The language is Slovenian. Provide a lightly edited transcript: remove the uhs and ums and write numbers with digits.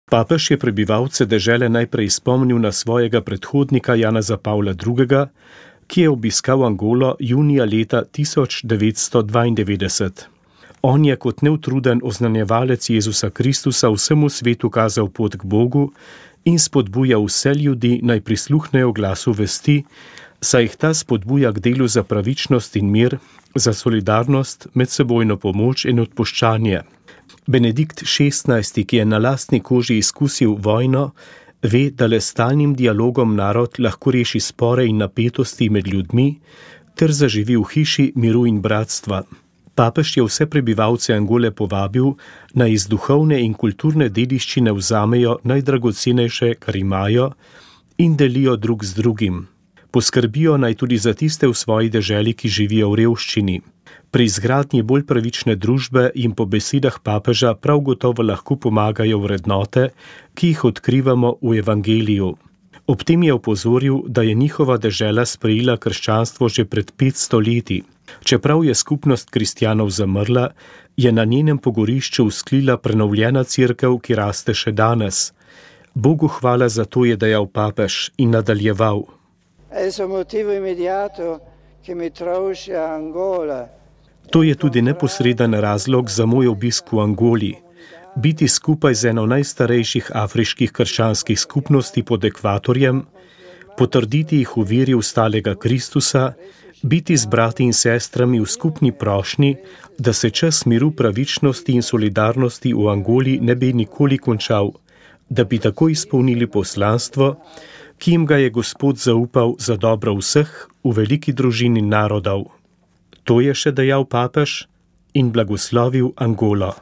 Papež je prebivalce dežele najprej spomnil na svojega predhodnika Janeza Pavla II., ki je obiskal Angolo junija leta 1992. On je kot neutruden oznanjevalec Jezusa Kristusa vsemu svetu kazal pot k Bogu in spodbuja vse ljudi, naj prisluhnejo glasu vesti, saj jih ta spodbuja k delu za pravičnost in mir, za solidarnost, medsebojno pomoč in odpuščanje. Benedikt XVI., ki je na lastni koži izkusil vojno, ve, da le stalnim dialogom narod lahko reši spore in napetosti med ljudmi ter zaživi v hiši miru in bratstva. Papež je vse prebivalce Angole povabil, naj iz duhovne in kulturne dediščine vzamejo najdragocenejše, kar imajo, in delijo drug z drugim. Poskrbijo naj tudi za tiste v svoji deželi, ki živijo v revščini. Pri izgradnji bolj pravične družbe jim po besedah papeža prav gotovo lahko pomagajo vrednote, ki jih odkrivamo v evangeliju. Ob tem je opozoril, da je njihova dežela sprejela krščanstvo že pred 500 leti. Čeprav je skupnost kristjanov zamrla, je na njenem pogorišču vzklila prenovljena cerkev, ki raste še danes. Bogu hvala za to, je dejal papež in nadaljeval. To je tudi neposreden razlog za moj obisk v Angoli. Biti skupaj z eno najstarejših afriških krščanskih skupnosti pod ekvatorjem, potrditi jih v veri v stalega Kristusa, biti z brati in sestrami v skupni prošnji, da se čas miru, pravičnosti in solidarnosti v Angoli ne bi nikoli končal, da bi tako izpolnili poslanstvo, ki jim ga je Gospod zaupal za dobro vseh v veliki družini narodov. To je še dejal papež in blagoslovil Angolo.